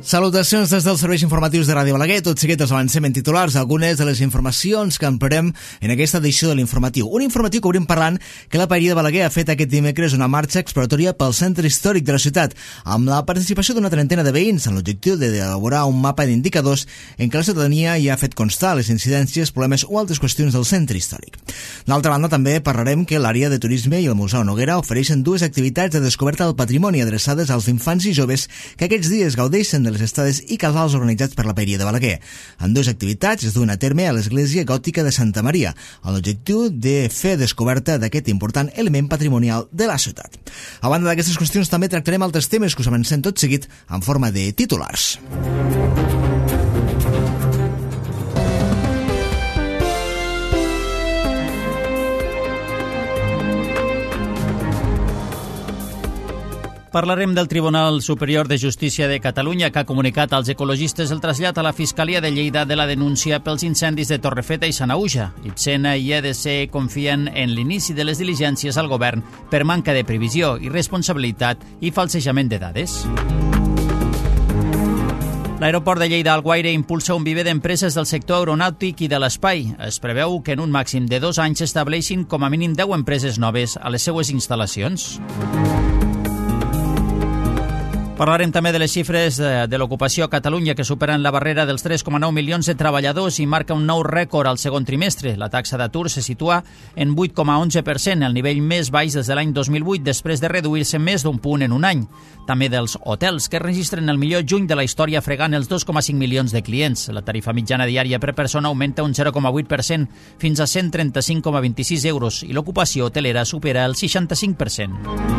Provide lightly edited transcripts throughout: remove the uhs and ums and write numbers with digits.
Salutacions des dels serveis informatius de Ràdio Balaguer. Tot seguit els avancem en titulars algunes de les informacions que emprem en aquesta edició de l'informatiu. Un informatiu que obrim parlant que la Paeria de Balaguer ha fet aquest dimecres una marxa exploratòria pel centre històric de la ciutat, amb la participació d'una trentena de veïns amb l'objectiu d'elaborar un mapa d'indicadors en què la ciutadania ja ha fet constar les incidències, problemes o altres qüestions del centre històric. D'altra banda, també parlarem que l'àrea de turisme i el Museu Noguera ofereixen dues activitats de descoberta del patrimoni adreçades als infants i joves que aquests dies gaudeixen de les estades i casals organitzats per la Paeria de Balaguer. En dues activitats es duen a terme a l'església gòtica de Santa Maria, amb l'objectiu de fer descoberta d'aquest important element patrimonial de la ciutat. A banda d'aquestes qüestions, també tractarem altres temes que us avancem tot seguit en forma de titulars. Parlarem del Tribunal Superior de Justícia de Catalunya, que ha comunicat als ecologistes el trasllat a la Fiscalia de Lleida de la denúncia pels incendis de Torrefeta i Sanaüja. Ibsena i EDC confien en l'inici de les diligències al govern per manca de previsió, irresponsabilitat i falsejament de dades. L'aeroport de Lleida-Alguaire impulsa un viver d'empreses del sector aeronàutic i de l'espai. Es preveu que en un màxim de 2 anys s'estableixin com a mínim 10 empreses noves a les seues instal·lacions. Parlarem també de les xifres de l'ocupació a Catalunya, que superen la barrera dels 3,9 milions de treballadors i marca un nou rècord al segon trimestre. La taxa d'atur se situa en 8,11%, el nivell més baix des de l'any 2008, després de reduir-se més d'un punt en un any. També dels hotels, que registren el millor juny de la història fregant els 2,5 milions de clients. La tarifa mitjana diària per persona augmenta un 0,8% fins a 135,26 euros i l'ocupació hotelera supera el 65%.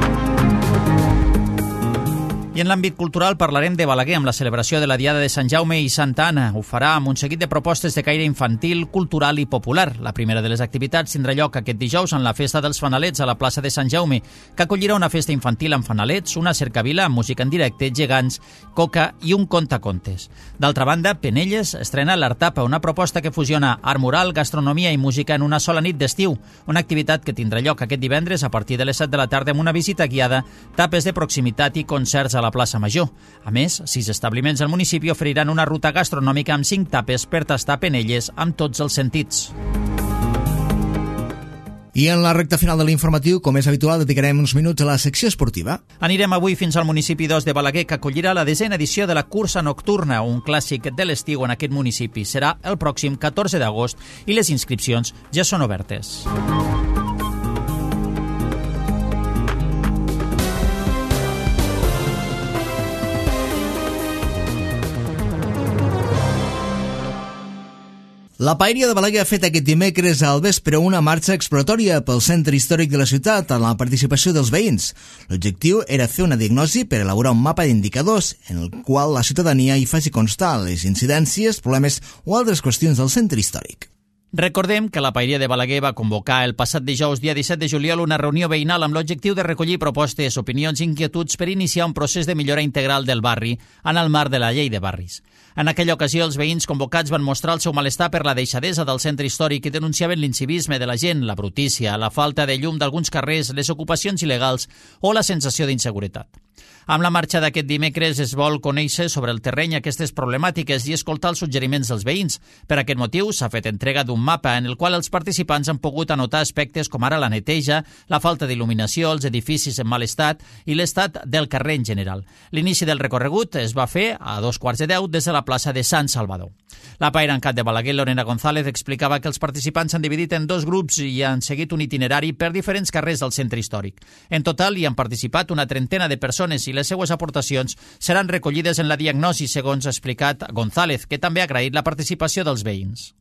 I en l'àmbit cultural parlarem de Balaguer amb la celebració de la Diada de Sant Jaume i Santa Anna. Ho farà amb un seguit de propostes de caire infantil, cultural i popular. La primera de les activitats tindrà lloc aquest dijous en la Festa dels Fanalets a la plaça de Sant Jaume, que acollirà una festa infantil amb fanalets, una cercavila amb música en directe, gegants, coca i un contacontes. D'altra banda, Penelles estrena l'Artapa, una proposta que fusiona art mural, gastronomia i música en una sola nit d'estiu, una activitat que tindrà lloc aquest divendres a partir de les 7 de la tarda amb una visita guiada, tapes de proximitat i concerts a la plaça Major. A més, 6 establiments del municipi oferiran una ruta gastronòmica amb 5 tapes per tastar Penelles amb tots els sentits. I en la recta final de l'informatiu, com és habitual, dedicarem uns minuts a la secció esportiva. Anirem avui fins al municipi 2 de Balaguer, que acollirà la 10a edició de la cursa nocturna, un clàssic de l'estiu en aquest municipi. Serà el pròxim 14 d'agost i les inscripcions ja són obertes. La Paeria de Balaguer ha fet aquest dimecres al vespre una marxa exploratòria pel centre històric de la ciutat amb la participació dels veïns. L'objectiu era fer una diagnosi per elaborar un mapa d'indicadors en el qual la ciutadania hi faci constar les incidències, problemes o altres qüestions del centre històric. Recordem que la Paeria de Balaguer va convocar el passat dijous, dia 17 de juliol, una reunió veïnal amb l'objectiu de recollir propostes, opinions i inquietuds per iniciar un procés de millora integral del barri en el marc de la llei de barris. En aquella ocasió, els veïns convocats van mostrar el seu malestar per la deixadesa del centre històric i denunciaven l'incivisme de la gent, la brutícia, la falta de llum d'alguns carrers, les ocupacions il·legals o la sensació d'inseguretat. Amb la marxa d'aquest dimecres es vol conèixer sobre el terreny aquestes problemàtiques i escoltar els suggeriments dels veïns. Per aquest motiu s'ha fet entrega d'un mapa en el qual els participants han pogut anotar aspectes com ara la neteja, la falta d'il·luminació, els edificis en mal estat i l'estat del carrer en general. L'inici del recorregut es va fer a 9:15 des de la plaça de Sant Salvador. La paera en cap de Balaguer, Lorena González, explicava que els participants s'han dividit en 2 grups i han seguit un itinerari per diferents carrers del centre històric. En total hi han participat una trentena de persones i les seues aportacions seran recollides en la diagnosi, segons ha explicat González, que també ha agraït la participació dels veïns.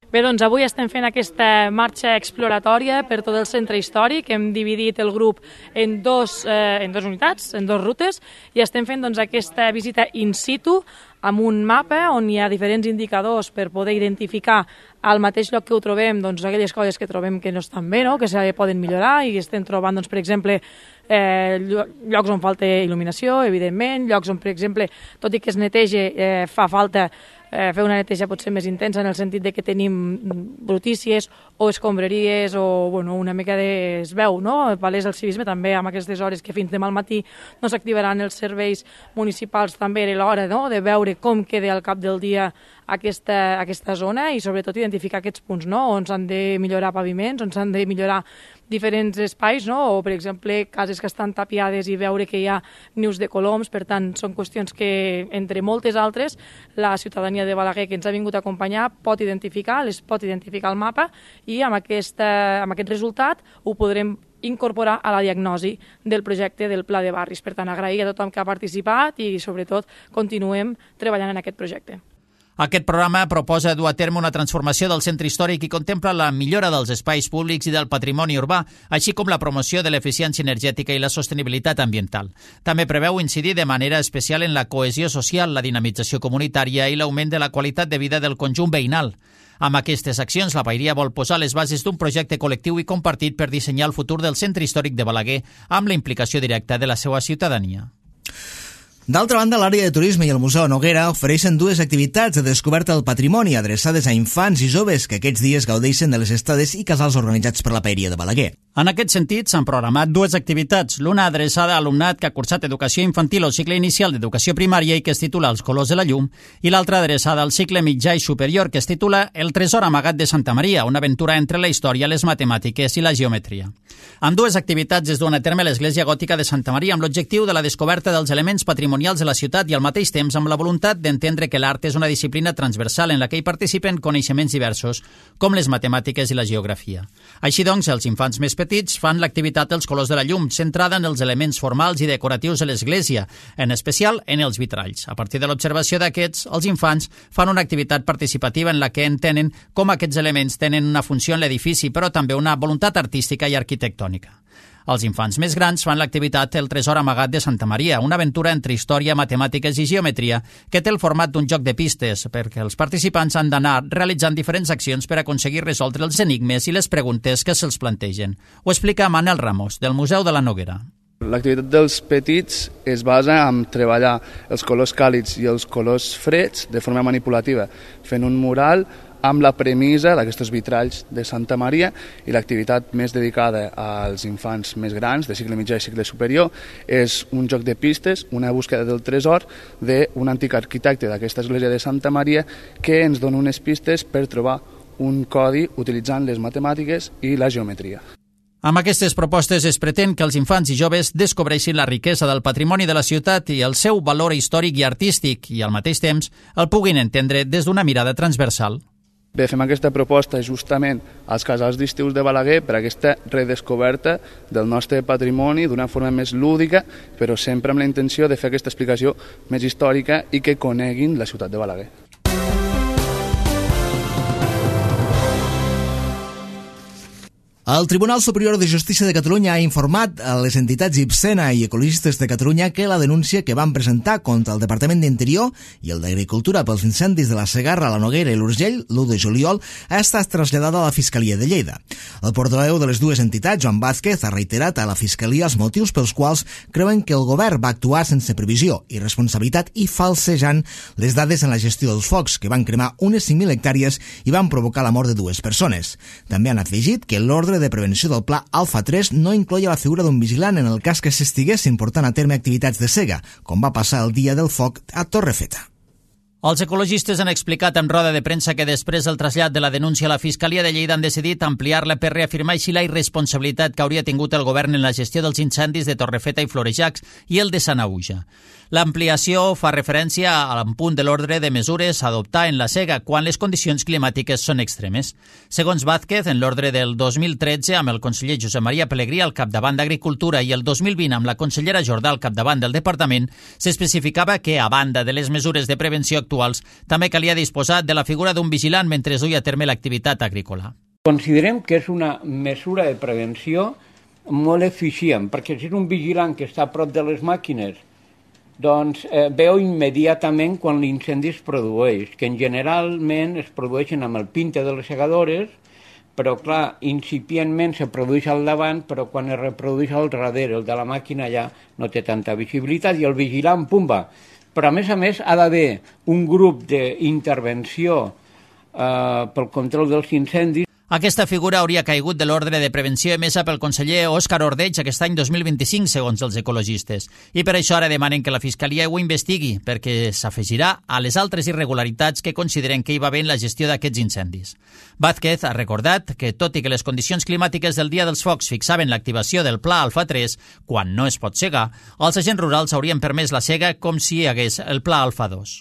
Bé, doncs avui estem fent aquesta marxa exploratòria per tot el centre històric. Hem dividit el grup en dos unitats, en 2 rutes, i estem fent aquesta visita in situ amb un mapa on hi ha diferents indicadors per poder identificar al mateix lloc que ho trobem, doncs, aquelles coses que trobem que no estan bé, no? Que se poden millorar, i estem trobant, doncs, per exemple, llocs on falta il·luminació, evidentment, llocs on, per exemple, tot i que es neteja, fa falta fer una neteja potser més intensa en el sentit de que tenim brutícies o escombraries o una mica es veu, no? Palès el civisme també amb aquestes hores que fins demà al matí no s'activaran els serveis municipals, també era l'hora, no?, de veure com queda al cap del dia aquesta zona i sobretot identificar aquests punts, no?, on s'han de millorar paviments, on s'han de millorar diferents espais, no?, o per exemple cases que estan tapiades i veure que hi ha nius de coloms. Per tant, són qüestions que, entre moltes altres, la ciutadania de Balaguer que ens ha vingut a acompanyar pot identificar, les pot identificar al mapa, i amb aquest resultat ho podrem incorporar a la diagnosi del projecte del Pla de Barris. Per tant, agrair a tothom que ha participat i, sobretot, continuem treballant en aquest projecte. Aquest programa proposa dur a terme una transformació del centre històric i contempla la millora dels espais públics i del patrimoni urbà, així com la promoció de l'eficiència energètica i la sostenibilitat ambiental. També preveu incidir de manera especial en la cohesió social, la dinamització comunitària i l'augment de la qualitat de vida del conjunt veïnal. Amb aquestes accions, la Paeria vol posar les bases d'un projecte col·lectiu i compartit per dissenyar el futur del centre històric de Balaguer amb la implicació directa de la seva ciutadania. D'altra banda, l'àrea de turisme i el Museu Noguera ofereixen dues activitats de descoberta del patrimoni adreçades a infants i joves que aquests dies gaudeixen de les estades i casals organitzats per la Paeria de Balaguer. En aquest sentit, s'han programat dues activitats, l'una adreçada a alumnat que ha cursat educació infantil o cicle inicial d'educació primària i que es titula Els colors de la llum, i l'altra adreçada al cicle mitjà i superior que es titula El tresor amagat de Santa Maria, una aventura entre la història, les matemàtiques i la geometria. En dues activitats es duen a terme a l'Església Gòtica de Santa Maria amb l'objectiu de la descoberta dels elements patrimonials de la ciutat i al mateix temps amb la voluntat d'entendre que l'art és una disciplina transversal en la que hi participen coneixements diversos, com les matemàtiques i la geografia. Així doncs, els infants més petits fan l'activitat Els colors de la llum, centrada en els elements formals i decoratius de l'església, en especial en els vitralls. A partir de l'observació d'aquests, els infants fan una activitat participativa en la que entenen com aquests elements tenen una funció en l'edifici, però també una voluntat artística i arquitectònica. Els infants més grans fan l'activitat El tresor amagat de Santa Maria, una aventura entre història, matemàtiques i geometria que té el format d'un joc de pistes, perquè els participants han d'anar realitzant diferents accions per aconseguir resoldre els enigmes i les preguntes que se'ls plantegen. Ho explica Manel Ramos, del Museu de la Noguera. L'activitat dels petits es basa en treballar els colors càlids i els colors freds de forma manipulativa, fent un mural amb la premissa d'aquests vitralls de Santa Maria, i l'activitat més dedicada als infants més grans, de cicle mitjà i cicle superior, és un joc de pistes, una búsqueda del tresor d'un antic arquitecte d'aquesta església de Santa Maria que ens dona unes pistes per trobar un codi utilitzant les matemàtiques i la geometria. Amb aquestes propostes es pretén que els infants i joves descobreixin la riquesa del patrimoni de la ciutat i el seu valor històric i artístic i, al mateix temps, el puguin entendre des d'una mirada transversal. Bé, fem aquesta proposta justament als casals d'estius de Balaguer per aquesta redescoberta del nostre patrimoni d'una forma més lúdica, però sempre amb la intenció de fer aquesta explicació més històrica i que coneguin la ciutat de Balaguer. El Tribunal Superior de Justícia de Catalunya ha informat a les entitats Ibsena i Ecologistes de Catalunya que la denúncia que van presentar contra el Departament d'Interior i el d'Agricultura pels incendis de la Segarra, la Noguera i l'Urgell l'1 de juliol ha estat traslladada a la Fiscalia de Lleida. El portaveu de les dues entitats, Joan Vázquez, ha reiterat a la Fiscalia els motius pels quals creuen que el govern va actuar sense previsió i responsabilitat i falsejant les dades en la gestió dels focs, que van cremar unes 5.000 hectàrees i van provocar la mort de 2 persones. També han afegit que l'ordre de prevenció del Pla Alfa 3 no incloïa la figura d'un vigilant en el cas que s'estiguessin portant a terme activitats de sega, com va passar el dia del foc a Torrefeta. Els ecologistes han explicat en roda de premsa que després del trasllat de la denúncia a la Fiscalia de Lleida han decidit ampliar-la per reafirmar així la irresponsabilitat que hauria tingut el govern en la gestió dels incendis de Torrefeta i Florejacs i el de Sanaüja. L'ampliació fa referència al punt de l'ordre de mesures a adoptar en la sega quan les condicions climàtiques són extremes. Segons Vázquez, en l'ordre del 2013, amb el conseller Josep Maria Pelegrí al capdavant d'Agricultura i el 2020 amb la consellera Jordà al capdavant del departament, s'especificava que, a banda de les mesures de prevenció actuals, també calia disposar de la figura d'un vigilant mentre es duia a terme l'activitat agrícola. Considerem que és una mesura de prevenció molt eficient, perquè si és un vigilant que està a prop de les màquines doncs veu immediatament quan l'incendi es produeix, que generalment es produeixen amb el pinte de les segadores, però clar, incipientment se produeix al davant, però quan es reprodueix al darrere, el de la màquina ja no té tanta visibilitat i el vigilant, pumba. Però a més, ha d'haver un grup d'intervenció pel control dels incendis. Aquesta figura hauria caigut de l'ordre de prevenció emesa pel conseller Òscar Ordeig aquest any 2025, segons els ecologistes. I per això ara demanen que la Fiscalia ho investigui, perquè s'afegirà a les altres irregularitats que consideren que hi va haver en la gestió d'aquests incendis. Vázquez ha recordat que, tot i que les condicions climàtiques del Dia dels Focs fixaven l'activació del Pla Alfa 3, quan no es pot segar, els agents rurals haurien permès la sega com si hi hagués el Pla Alfa 2.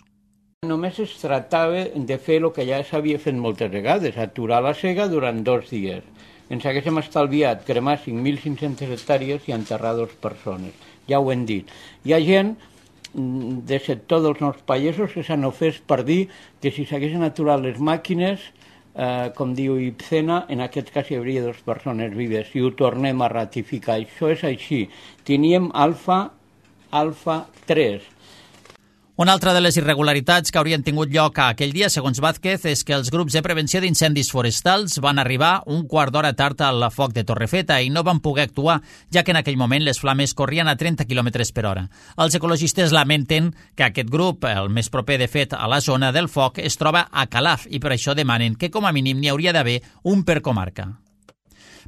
Només es tractava de fer el que ja s'havia fet moltes vegades, aturar la sega durant 2 dies. Ens haguéssim estalviat cremar 5.500 hectàrees i enterrar 2 persones. Ja ho hem dit. Hi ha gent de sector dels nous països que s'han ofès per dir que si s'haguessin aturat les màquines, com diu Ibcena, en aquest cas hi hauria 2 persones vives i ho tornem a ratificar. Això és així. Teníem alfa 3. Una altra de les irregularitats que haurien tingut lloc aquell dia, segons Vázquez, és que els grups de prevenció d'incendis forestals van arribar un quart d'hora tard al foc de Torrefeta i no van poder actuar, ja que en aquell moment les flames corrien a 30 km per hora. Els ecologistes lamenten que aquest grup, el més proper de fet a la zona del foc, es troba a Calaf i per això demanen que com a mínim n'hi hauria d'haver un per comarca.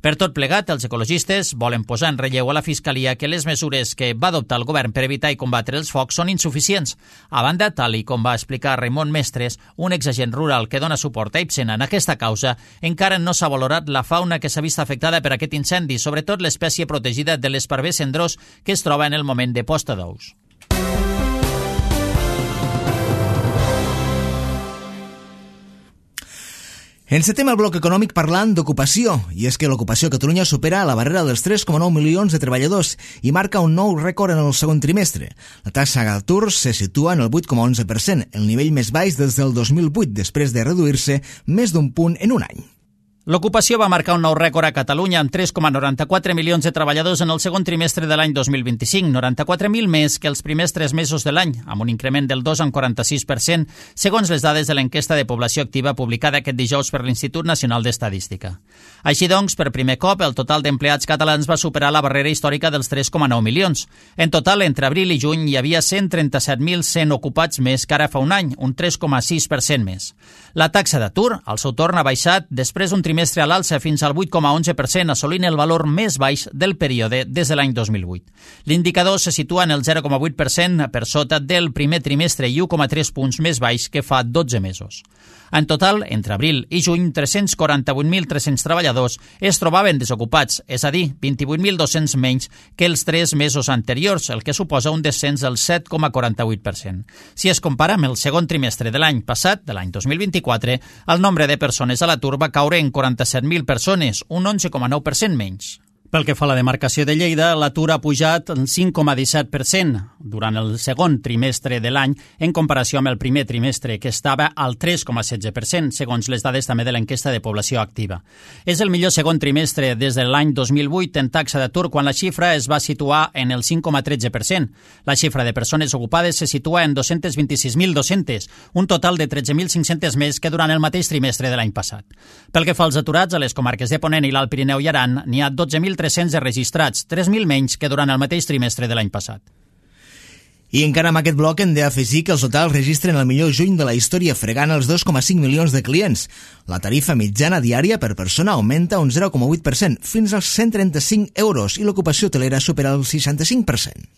Per tot plegat, els ecologistes volen posar en relleu a la Fiscalia que les mesures que va adoptar el govern per evitar i combatre els focs són insuficients. A banda, tal i com va explicar Raimon Mestres, un exagent rural que dona suport a Ibsena en aquesta causa, encara no s'ha valorat la fauna que s'ha vist afectada per aquest incendi, sobretot l'espècie protegida de l'esparver cendrós que es troba en el moment de posta d'ous. Encetem el bloc econòmic parlant d'ocupació, i és que l'ocupació a Catalunya supera la barrera dels 3,9 milions de treballadors i marca un nou rècord en el segon trimestre. La taxa d'atur se situa en el 8,11%, el nivell més baix des del 2008, després de reduir-se més d'un punt en un any. L'ocupació va marcar un nou rècord a Catalunya amb 3,94 milions de treballadors en el segon trimestre de l'any 2025, 94.000 més que els primers 3 mesos de l'any, amb un increment del 2,46%, segons les dades de l'enquesta de població activa publicada aquest dijous per l'Institut Nacional d'Estadística. Així doncs, per primer cop, el total d'empleats catalans va superar la barrera històrica dels 3,9 milions. En total, entre abril i juny hi havia 137.100 ocupats més que ara fa un any, un 3,6% més. La taxa d'atur, al seu torn, ha baixat després d'un trimestre a l'alça fins al 8,11%, assolint el valor més baix del període des de l'any 2008. L'indicador se situa en el 0,8% per sota del primer trimestre i 1,3 punts més baix que fa 12 mesos. En total, entre abril i juny, 348.300 treballadors es trobaven desocupats, és a dir, 28.200 menys que els 3 mesos anteriors, el que suposa un descens del 7,48%. Si es compara amb el segon trimestre de l'any passat, de l'any 2024, el nombre de persones a l'atur va caure en 47.000 persones, un 11,9% menys. Pel que fa a la demarcació de Lleida, l'atur ha pujat el 5,17% durant el segon trimestre de l'any en comparació amb el primer trimestre, que estava al 3,16%, segons les dades també de l'enquesta de població activa. És el millor segon trimestre des de l'any 2008 en taxa d'atur, quan la xifra es va situar en el 5,13%. La xifra de persones ocupades se situa en 226.200, un total de 13.500 més que durant el mateix trimestre de l'any passat. Pel que fa als aturats, a les comarques de Ponent i l'Alt Pirineu i Aran n'hi ha 12.300 registrats, 3.000 menys que durant el mateix trimestre de l'any passat. I encara amb aquest bloc hem d'afegir que els hotels registren el millor juny de la història, fregant els 2,5 milions de clients. La tarifa mitjana diària per persona augmenta un 0,8%, fins als 135 euros, i l'ocupació hotelera supera el 65%.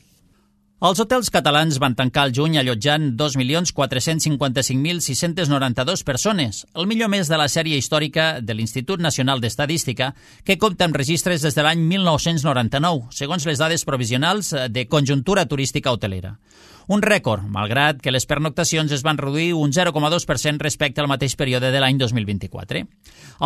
Els hotels catalans van tancar el juny allotjant 2.455.692 persones, el millor mes de la sèrie històrica de l'Institut Nacional d'Estadística, que compta amb registres des de l'any 1999, segons les dades provisionals de conjuntura turística hotelera. Un rècord, malgrat que les pernoctacions es van reduir un 0,2% respecte al mateix període de l'any 2024.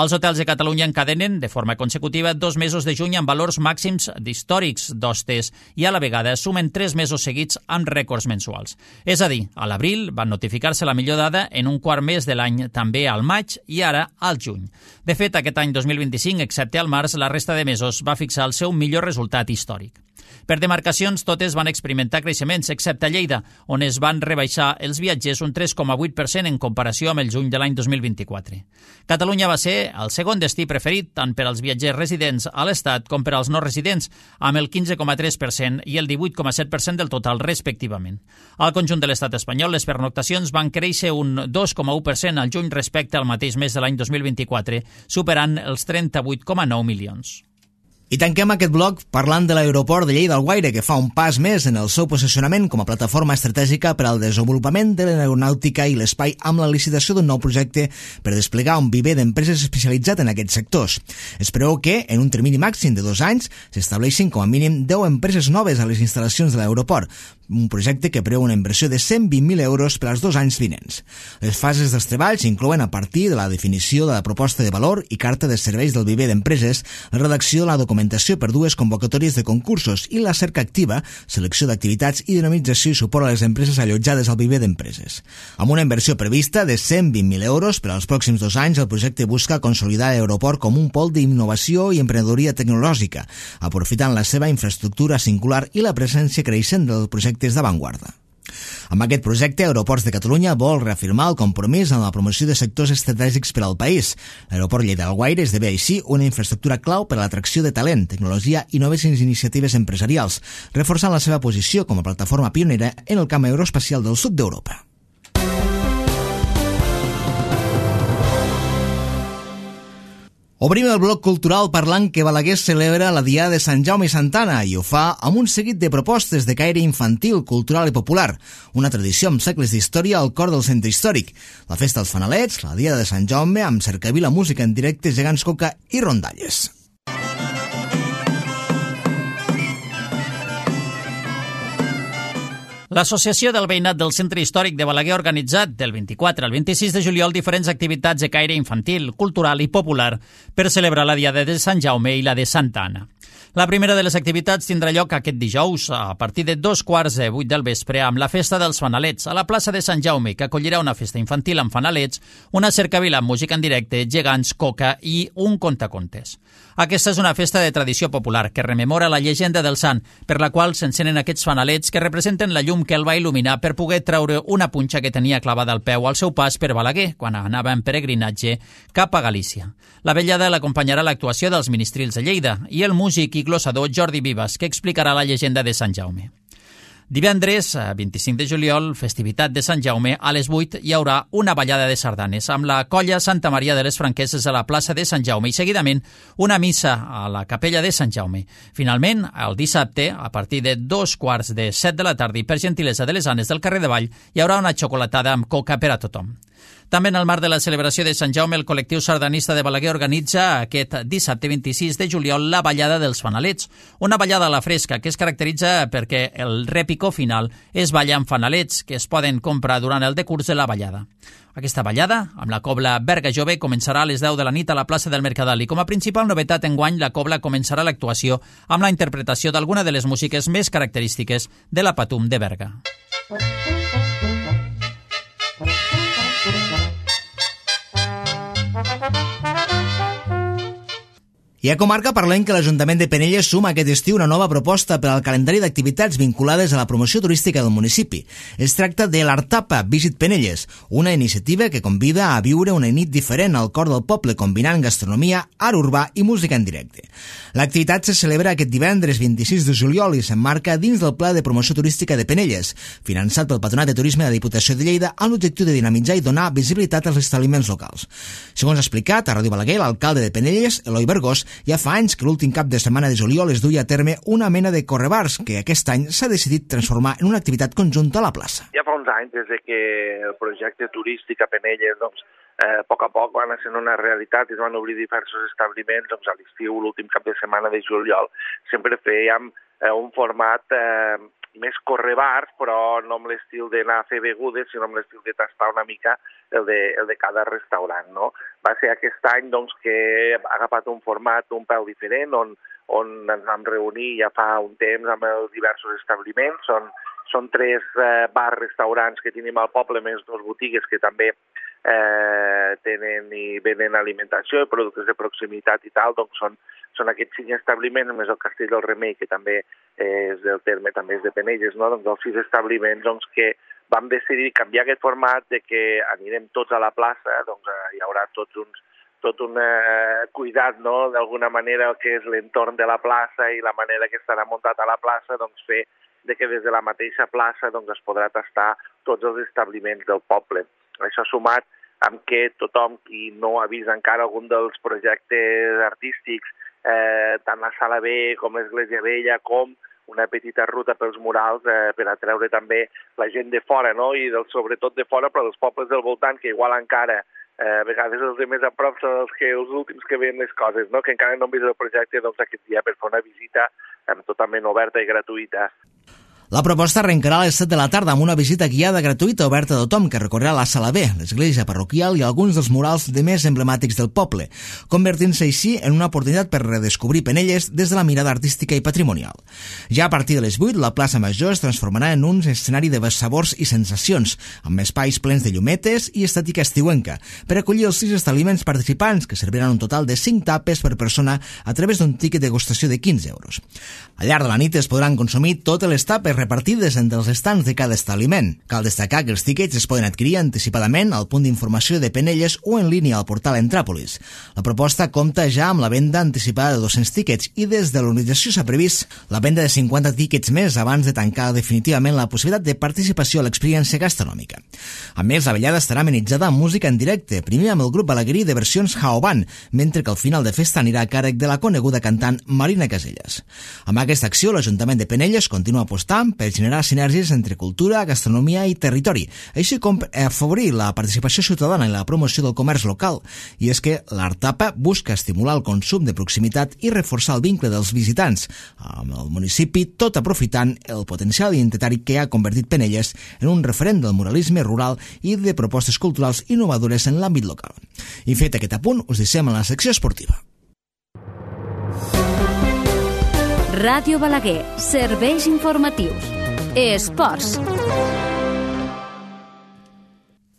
Els hotels de Catalunya encadenen de forma consecutiva 2 mesos de juny amb valors màxims històrics d'hostes i a la vegada sumen 3 mesos seguits amb rècords mensuals. És a dir, a l'abril van notificar-se la millor dada en un quart mes de l'any, també al maig i ara al juny. De fet, aquest any 2025, excepte al març, la resta de mesos va fixar el seu millor resultat històric. Per demarcacions, totes van experimentar creixements, excepte Lleida, on es van rebaixar els viatgers un 3,8% en comparació amb el juny de l'any 2024. Catalunya va ser el segon destí preferit tant per als viatgers residents a l'Estat com per als no residents, amb el 15,3% i el 18,7% del total, respectivament. Al conjunt de l'Estat espanyol, les pernoctacions van créixer un 2,1% al juny respecte al mateix mes de l'any 2024, superant els 38,9 milions. I tanquem aquest bloc parlant de l'aeroport de Lleida-Alguaire, que fa un pas més en el seu posicionament com a plataforma estratègica per al desenvolupament de l'aeronàutica i l'espai amb la licitació d'un nou projecte per desplegar un viver d'empreses especialitzat en aquests sectors. Es preveu que, en un termini màxim de 2 anys, s'estableixin com a mínim 10 empreses noves a les instal·lacions de l'aeroport, un projecte que preveu una inversió de 120.000 euros per als 2 anys vinents. Les fases dels treballs inclouen, a partir de la definició de la proposta de valor i carta de serveis del viver d'empreses, la redacció de la documentació per 2 convocatòries de concursos i la cerca activa, selecció d'activitats i dinamització i suport a les empreses allotjades al viver d'empreses. Amb una inversió prevista de 120.000 euros per als pròxims 2 anys, el projecte busca consolidar l'aeroport com un pol d'innovació i emprenedoria tecnològica, aprofitant la seva infraestructura singular i la presència creixent del projecte d'avantguarda. Amb aquest projecte, Aeroports de Catalunya vol reafirmar el compromís en la promoció de sectors estratègics per al país. L'aeroport Lleida-Alguaire esdevé així una infraestructura clau per a l'atracció de talent, tecnologia i noves iniciatives empresarials, reforçant la seva posició com a plataforma pionera en el camp aeroespacial del sud d'Europa. Obrim el bloc cultural parlant que Balaguer celebra la Diada de Sant Jaume i Santana i ho fa amb un seguit de propostes de caire infantil, cultural i popular, una tradició amb segles d'història al cor del centre històric. La festa dels fanalets, la Diada de Sant Jaume, amb cercavila, música en directe, gegants coca i rondalles. L'Associació del Veïnat del Centre Històric de Balaguer ha organitzat del 24 al 26 de juliol diferents activitats de caire infantil, cultural i popular per celebrar la Diada de Sant Jaume i la de Santa Anna. La primera de les activitats tindrà lloc aquest dijous a partir de 7:15 del vespre amb la Festa dels Fanalets a la plaça de Sant Jaume, que acollirà una festa infantil amb fanalets, una cercavila amb música en directe, gegants, coca i un contacontes. Aquesta és una festa de tradició popular que rememora la llegenda del sant, per la qual s'encenen aquests fanalets que representen la llum que el va il·luminar per poder treure una punxa que tenia clavada al peu al seu pas per Balaguer, quan anava en peregrinatge cap a Galícia. La vetllada l'acompanyarà l'actuació dels ministrils de Lleida i el músic i glossador Jordi Vives, que explicarà la llegenda de Sant Jaume. Divendres, 25 de juliol, festivitat de Sant Jaume, a les 8 hi haurà una ballada de sardanes amb la colla Santa Maria de les Franqueses a la plaça de Sant Jaume i seguidament una missa a la capella de Sant Jaume. Finalment, el dissabte, a partir de 7:15 de la tarda i per gentilesa de les Anes del carrer de Vall, hi haurà una xocolatada amb coca per a tothom. També en el marc de la celebració de Sant Jaume, el col·lectiu sardanista de Balaguer organitza aquest dissabte 26 de juliol la ballada dels fanalets, una ballada a la fresca que es caracteritza perquè el repicó final es balla amb fanalets que es poden comprar durant el decurs de la ballada. Aquesta ballada, amb la cobla Berga Jove, començarà a les 10 de la nit a la plaça del Mercadal i com a principal novetat enguany la cobla començarà l'actuació amb la interpretació d'alguna de les músiques més característiques de la Patum de Berga. I a comarca parlem que l'Ajuntament de Penelles suma aquest estiu una nova proposta per al calendari d'activitats vinculades a la promoció turística del municipi. Es tracta de l'Artapa Visit Penelles, una iniciativa que convida a viure una nit diferent al cor del poble, combinant gastronomia, art urbà i música en directe. L'activitat se celebra aquest divendres 26 de juliol i s'emmarca dins del Pla de Promoció Turística de Penelles, finançat pel Patronat de Turisme de la Diputació de Lleida amb l'objectiu de dinamitzar i donar visibilitat als establiments locals. Segons ha explicat a Ràdio Balaguer l'alcalde de Penelles, Eloi Bergós, ja fa anys que l'últim cap de setmana de juliol es duia a terme una mena de correbars que aquest any s'ha decidit transformar en una activitat conjunta a la plaça. Ja fa uns anys, des que el projecte turístic a Penelles, a poc va anar sent una realitat i es van obrir diversos establiments, a l'estiu, l'últim cap de setmana de juliol, sempre fèiem un format més correbars, però no amb l'estil d'anar a fer begudes, sinó amb l'estil de tastar una mica el de cada restaurant, no? Va ser aquest any que ha agafat un format un pèl diferent, on ens vam reunir ja fa un temps amb els diversos establiments. Són 3 bars, restaurants que tenim al poble, més 2 botigues que també tenen i venen alimentació i productes de proximitat i tal, doncs són aquests 5 establiments, només el Castell del Remei, que també és del terme, també és de Penelles, no? Doncs els 6 establiments doncs, que vam decidir canviar aquest format de que anirem tots a la plaça, doncs hi haurà tot un cuidat, no? D'alguna manera, el que és l'entorn de la plaça i la manera que estarà muntat a la plaça, doncs fer de que des de la mateixa plaça doncs, es podrà tastar tots els establiments del poble. Això sumat amb que tothom qui no ha vist encara algun dels projectes artístics, tant la Sala B com l'Església Vella, com una petita ruta pels murals per atreure també la gent de fora, no? I sobretot de fora, però dels pobles del voltant, que igual encara a vegades els de més a prop són els últims que veuen les coses, no? Que encara no han vist el projecte, doncs aquest dia per fer una visita totalment oberta i gratuïta. La proposta arrencarà a les 7 de la tarda amb una visita guiada gratuïta oberta a tothom que recorrerà la Sala B, l'església parroquial i alguns dels murals de més emblemàtics del poble, convertint-se així en una oportunitat per redescobrir Penelles des de la mirada artística i patrimonial. Ja a partir de les 8, la plaça Major es transformarà en un escenari de sabors i sensacions, amb espais plens de llumetes i estètica estiuenca, per acollir els 6 establiments participants, que serviran un total de 5 tapes per persona a través d'un tiquet de degustació de 15 euros. Al llarg de la nit es podran consumir totes les tapes repartides entre els estants de cada establiment. Cal destacar que els tíquets es poden adquirir anticipadament al punt d'informació de Penelles o en línia al portal Entràpolis. La proposta compta ja amb la venda anticipada de 200 tíquets i des de l'organització s'ha previst la venda de 50 tíquets més abans de tancar definitivament la possibilitat de participació a l'experiència gastronòmica. A més, la vetllada estarà amenitzada amb música en directe, primer amb el grup balaguerí de versions Jaoban, mentre que el final de festa anirà a càrrec de la coneguda cantant Marina Casellas. Amb aquesta acció, l'Ajuntament de Penelles continua apostant per generar sinergies entre cultura, gastronomia i territori, així com afavorir la participació ciutadana i la promoció del comerç local. I és que l'Artapa busca estimular el consum de proximitat i reforçar el vincle dels visitants amb el municipi, tot aprofitant el potencial identitari que ha convertit Penelles en un referent del muralisme rural i de propostes culturals innovadores en l'àmbit local. I fet aquest apunt, us deixem en la secció esportiva. Ràdio Balaguer, serveis informatius. Esports.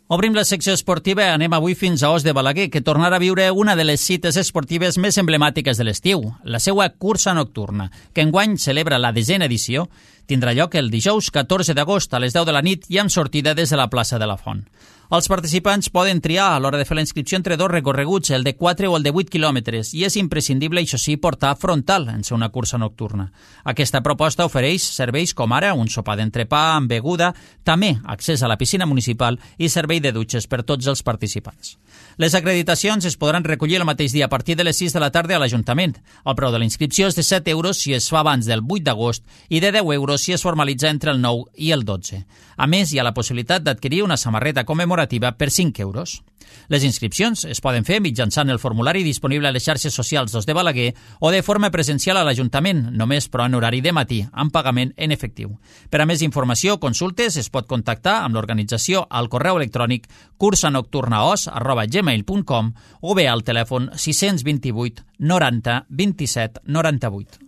Obrim la secció esportiva i anem avui fins a Os de Balaguer, que tornarà a viure una de les cites esportives més emblemàtiques de l'estiu, la seva cursa nocturna, que enguany celebra la 10ª edició, tindrà lloc el dijous 14 d'agost a les 10 de la nit i amb sortida des de la plaça de la Font. Els participants poden triar a l'hora de fer la inscripció entre 2 recorreguts, el de 4 o el de 8 quilòmetres, i és imprescindible, això sí, portar frontal en ser una cursa nocturna. Aquesta proposta ofereix serveis com ara un sopar d'entrepà amb beguda, també accés a la piscina municipal i servei de dutxes per tots els participants. Les acreditacions es podran recollir el mateix dia a partir de les 6 de la tarda a l'Ajuntament. El preu de la inscripció és de 7 euros si es fa abans del 8 d'agost i de 10 euros si es formalitza entre el 9 i el 12. A més, hi ha la possibilitat d'adquirir una samarreta commemorativa per 5 euros. Les inscripcions es poden fer mitjançant el formulari disponible a les xarxes socials d'Os de Balaguer o de forma presencial a l'Ajuntament, només però en horari de matí, amb pagament en efectiu. Per a més informació o consultes es pot contactar amb l'organització al correu electrònic cursaNocturnaos@gmail.com o bé al telèfon 628 90 27 98.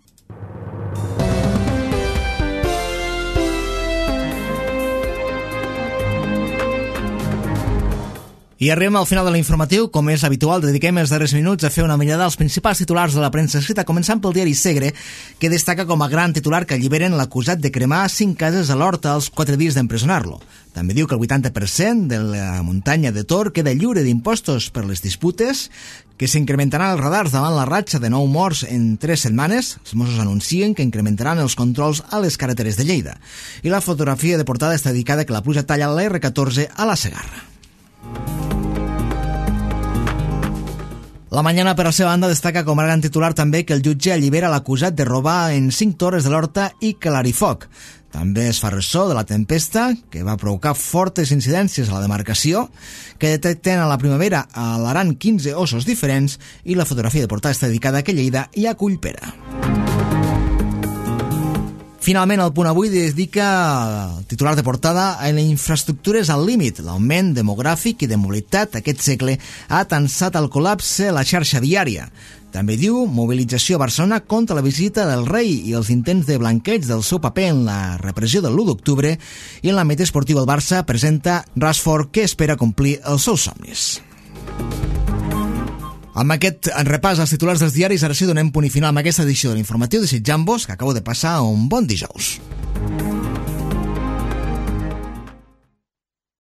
I arribem al final de l'informatiu. Com és habitual, dediquem els darrers minuts a fer una mirada als principals titulars de la premsa escrita, començant pel diari Segre, que destaca com a gran titular que alliberen l'acusat de cremar 5 cases a l'Horta als 4 dies d'empresonar-lo. També diu que el 80% de la muntanya de Tor queda lliure d'impostos per les disputes, que s'incrementaran els radars davant la ratxa de 9 morts en 3 setmanes. Els Mossos anuncien que incrementaran els controls a les carreteres de Lleida. I la fotografia de portada està dedicada que la pluja talla la R14 a la Segarra. La Mañana, per la seva banda, destaca com a gran titular també que el jutge allibera l'acusat de robar en 5 torres de l'Horta i Clarifoc. També es fa ressò de la tempesta, que va provocar fortes incidències a la demarcació, que detecten a la primavera a l'Aran 15 ossos diferents, i la fotografia de portada està dedicada a que Lleida i a Cullpera. Finalment, el Punt Avui dedica el titular de portada a les infraestructures al límit. L'augment demogràfic i de mobilitat aquest segle ha tensat el col·lapse a la xarxa viària. També diu mobilització a Barcelona contra la visita del rei i els intents de blanqueig del seu paper en la repressió del 1 d'octubre, i en l'àmbit esportiu el Barça presenta Rashford, que espera complir els seus somnis. Amb aquest repàs als titulars dels diaris, ara sí donem punt i final amb aquesta edició de l'informatiu, desitjant-vos que acabeu de passar un bon dijous.